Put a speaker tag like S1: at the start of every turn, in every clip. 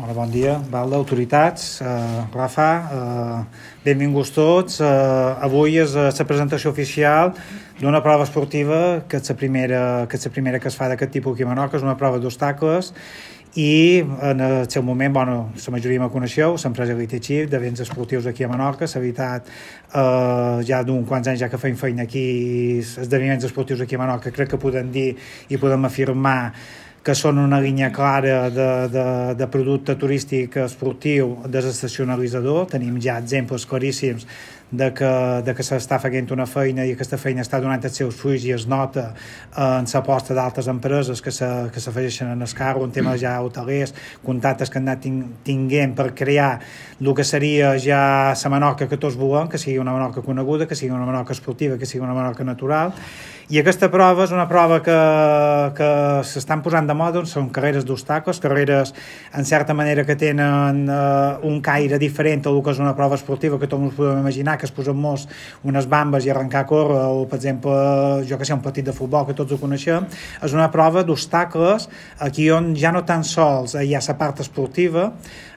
S1: Hola, bon dia, autoritats, Rafa, benvinguts tots. Avui és la presentació oficial d'una prova esportiva que és la primera que es fa d'aquest tipus aquí a Menorca. És una prova d'obstacles i en el seu moment, la majoria me coneixeu, l'empresa Elite Chip d'events esportius aquí a Menorca. S'ha evitat ja d'uns quants anys ja que feim feina aquí, esdeveniments esportius aquí a Menorca. Crec que podem dir i podem afirmar que són una línia clara de producte turístic esportiu desestacionalitzador. Tenim ja exemples claríssims de que s'està fent una feina i aquesta feina està donant els seus fruits i es nota en l'aposta d'altres empreses que s'afegeixen en el carro, en temes ja hotelers, contactes que han anat tinguent per crear el que seria ja la Menorca que tots volem, que sigui una Menorca coneguda, que sigui una Menorca esportiva, que sigui una Menorca natural. I aquesta prova és una prova que s'estan posant de moda, són carreres d'obstacles, carreres en certa manera que tenen un caire diferent al que és una prova esportiva, que tots ens podem imaginar, que es posen molts unes bambes i arrencar a córrer, o per exemple, jo que sé, un partit de futbol que tots ho coneixem. És una prova d'obstacles aquí on ja no tan sols hi ha la part esportiva,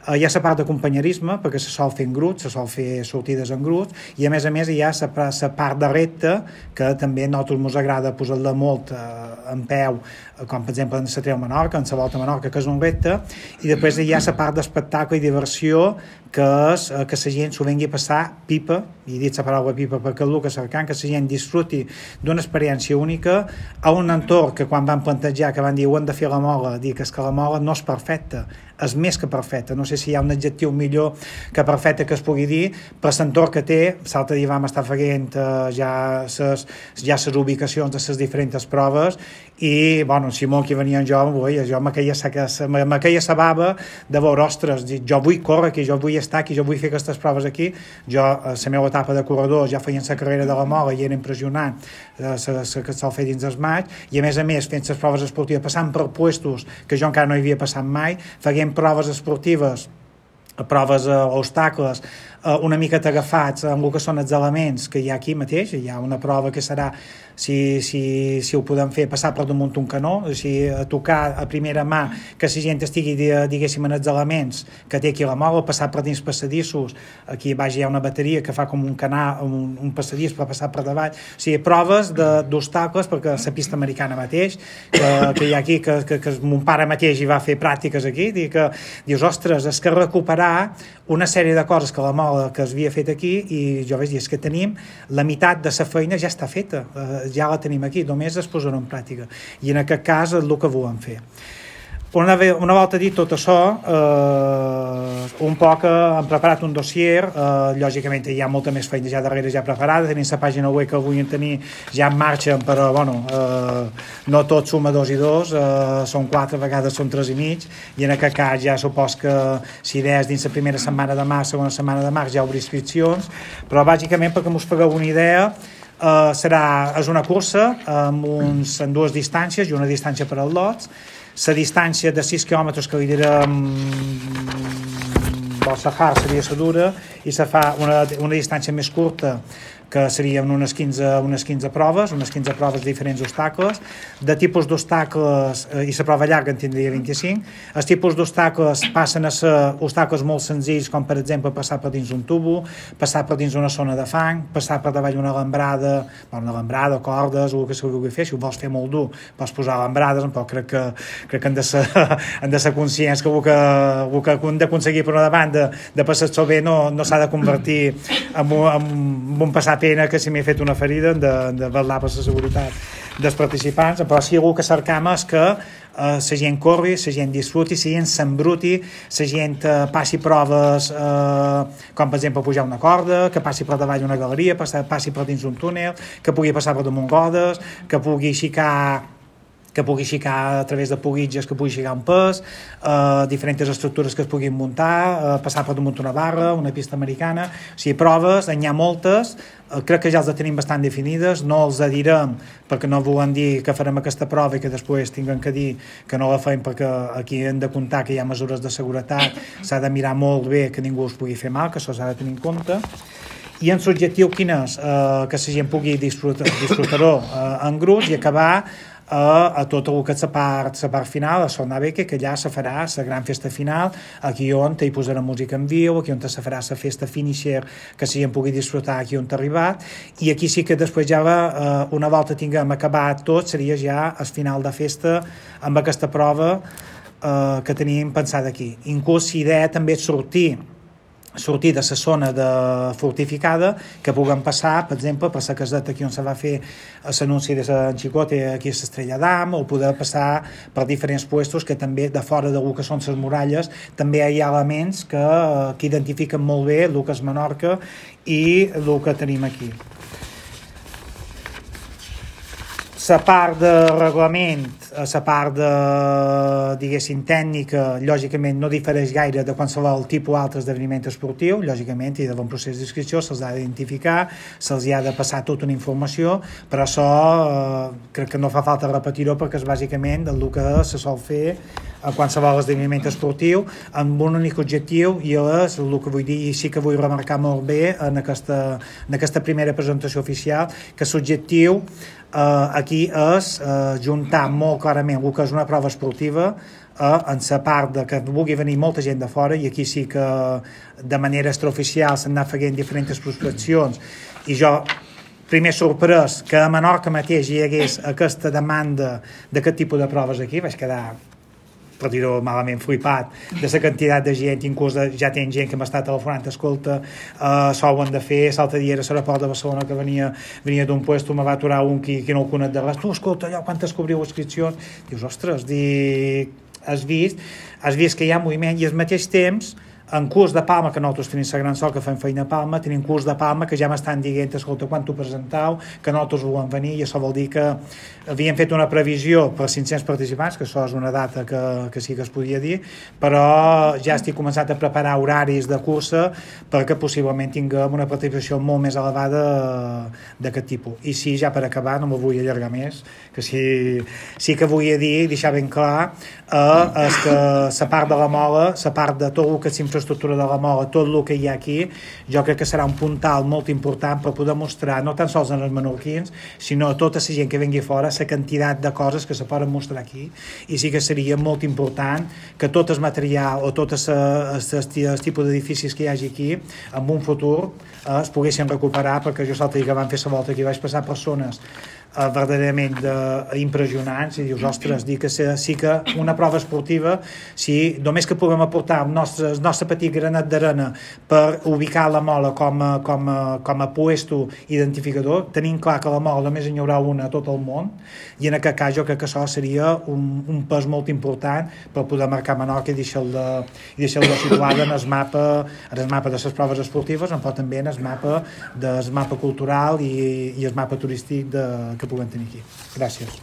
S1: hi ha la part de companyerisme, perquè se sol fer en grups, se sol fer sortides en grups, i a més hi ha la part de repte, que també a nosaltres ens agrada posar-la molt en peu, com per exemple en la Treu Menorca, en la Volta a Menorca, que és un repte, i després hi ha la part d'espectacle i diversió, que és que la gent s'ho vengui a passar pipa, i he dit la paraula pipa perquè és el que cercant, que la gent disfruti d'una experiència única a un entorn que quan van plantejar, que van dir ho hem de fer a la Mola, dir que és que la Mola no és perfecta, és més que perfecta, no sé si hi ha un adjectiu millor que perfecte que es pugui dir, per l'entorn que té. L'altre dia vam estar fent ja les ubicacions de les diferents proves i, Simó, que venia jo me queia sa bava de veure, ostres, jo vull córrer aquí, jo vull estar aquí, jo vull fer aquestes proves aquí. Jo, a la meva etapa de corredor, ja feien la carrera de la Mola i era impressionant que se'l fer dins el maig, i a més, fent les proves esportives, passant per puestos que jo encara no hi havia passat mai, feien proves esportives, proves obstacles, una mica agafats amb el que són els elements que hi ha aquí mateix. Hi ha una prova que serà, si ho podem fer, passar per damunt un canó, a tocar a primera mà, que la gent estigui, diguéssim, en els elements que té aquí a la Mola, passar per dins passadissos. Aquí baix hi ha una bateria que fa com un canal, un passadís per passar per davall. Proves d'obstacles, perquè la pista americana mateix, que hi ha aquí, que mon pare mateix hi va fer pràctiques aquí, dius, ostres, és que recuperar una sèrie de coses que la Mola que es havia fet aquí, i jo vaig dir, és que tenim la meitat de la feina ja està feta, ja la tenim aquí, només es posarà en pràctica, i en aquest cas és el que volem fer. Una volta dit tot això, un poc hem preparat un dossier, lògicament hi ha molta més feina ja darrere ja preparada, tenim la pàgina web que vull tenir ja en marxa, però no tot suma 2 i 2, són 4, a vegades són 3 i mig, i en aquest cas ja supos que si idees dins la primera setmana de març, segona setmana de març, ja obrir inscripcions, però bàsicament perquè us pagueu una idea, és una cursa amb 2 distàncies i una distància per als lots. La distància de 6 quilòmetres que li direm del Sahara seria la dura, i se fa una distància més curta, que serien unes 15 proves, de diferents obstacles. De tipus d'obstacles, i la prova llarga en tindria 25, els tipus d'obstacles passen a ser obstacles molt senzills, com per exemple passar per dins un tubo, passar per dins una zona de fang, passar per davall una alambrada, cordes, o el que se vulgui fer. Si ho vols fer molt dur, pots posar alambrades, però crec que han de ser conscients que el que hem d'aconseguir per una banda de passar-s'ho bé no s'ha de convertir en un passar pena que si m'he fet una ferida de vetllar per la seguretat dels participants. Però sí, el que cercam és que la gent corri, la gent disfruti, la gent s'embruti, la gent passi proves com per exemple pujar una corda, que passi per davall una galeria, passi per dins un túnel, que pugui passar per damunt rodes, que pugui xicar a través de pugitges, que pugui xicar un pes, diferents estructures que es puguin muntar, passar per damunt una barra, una pista americana. O sigui, proves, n'hi ha moltes, crec que ja les tenim bastant definides, no els direm perquè no volem dir que farem aquesta prova i que després tinguem que dir que no la fem, perquè aquí hem de comptar que hi ha mesures de seguretat, s'ha de mirar molt bé que ningú us pugui fer mal, que això s'ha de tenir en compte. I en l'objectiu quin és? Que la gent pugui disfrutar-ho en grups i acabar a tot el que és la part final, a Sornabeque, que allà se farà la gran festa final, aquí on hi posarà música en viu, aquí on se farà la festa finisher que s'hi pugui disfrutar aquí on t'ha arribat, i aquí sí que després ja una volta tinguem acabat tot, seria ja el final de festa amb aquesta prova que tenim pensada aquí. Inclús la idea també és sortir de la zona fortificada, que puguem passar, per exemple, per la caseta aquí on se va fer l'anunci de Sant Xicote, aquí a l'Estrella d'Am, o poder passar per diferents puestos que també de fora del que són les muralles també hi ha elements que identifiquen molt bé el que és Menorca i el que tenim aquí. La part de reglament, la part de, diguéssim, tècnica, lògicament no difereix gaire de qualsevol tipus altre esdeveniment esportiu, lògicament hi ha d'haver un procés d'inscripció, se'ls ha d'identificar, se'ls ha de passar tota una informació, però això crec que no fa falta repetir-ho perquè és bàsicament el que se sol fer a qualsevol esdeveniment esportiu amb un únic objectiu, i és el que vull dir, i sí que vull remarcar molt bé en aquesta primera presentació oficial, que l'objectiu aquí és juntar molt clarament el que és una prova esportiva en la part de que vulgui venir molta gent de fora, i aquí sí que de manera extraoficial s'han anat fent diferents prospeccions, i jo primer sorprès que a Menorca mateix hi hagués aquesta demanda d'aquest tipus de proves aquí, vaig quedar, per dir-ho malament, flipat de la quantitat de gent, inclús ja tenen gent que m'està telefonant, escolta, això ho han de fer. L'altre dia era a l'aeroport de Barcelona que venia d'un puesto, me va aturar un qui no ho conec de res, tu, escolta, allò, quantes cobriu inscripcions? Dius, ostres, has vist que hi ha moviment, i al mateix temps en curs de Palma, que nosaltres tenim la gran sort que fem feina a Palma, tenim curs de Palma que ja m'estan dient, escolta, quan t'ho presentau, que nosaltres volem venir, i això vol dir que havien fet una previsió per 500 participants, que això és una data que sí que es podia dir, però ja estic començant a preparar horaris de cursa perquè possiblement tinguem una participació molt més elevada d'aquest tipus. I sí, ja per acabar, no m'ho vull allargar més, que sí que vull dir, deixar ben clar, és que la part de la mola, la part de tot el que és infraestructura de la mola, tot el que hi ha aquí, jo crec que serà un puntal molt important per poder mostrar, no tan sols als menorquins, sinó a tota la gent que vengui fora, la quantitat de coses que se poden mostrar aquí, i sí que seria molt important que tot el material o tot el tipus d'edificis que hi hagi aquí, en un futur es poguessin recuperar, perquè jo l'altre dia que van fer la volta aquí vaig passar persones verdaderament impressionants, i dius, ostres, dir que sí que una prova esportiva, si només que puguem aportar el nostre petit granet d'arena per ubicar la mola com a puesto identificador, tenint clar que la mola només hi haurà una a tot el món, i en aquest cas jo crec que això seria un pas molt important per poder marcar Menorca i deixar-la situada en el mapa de les proves esportives, però també en el mapa cultural i el mapa turístic que puguem tenir aquí. Gràcies.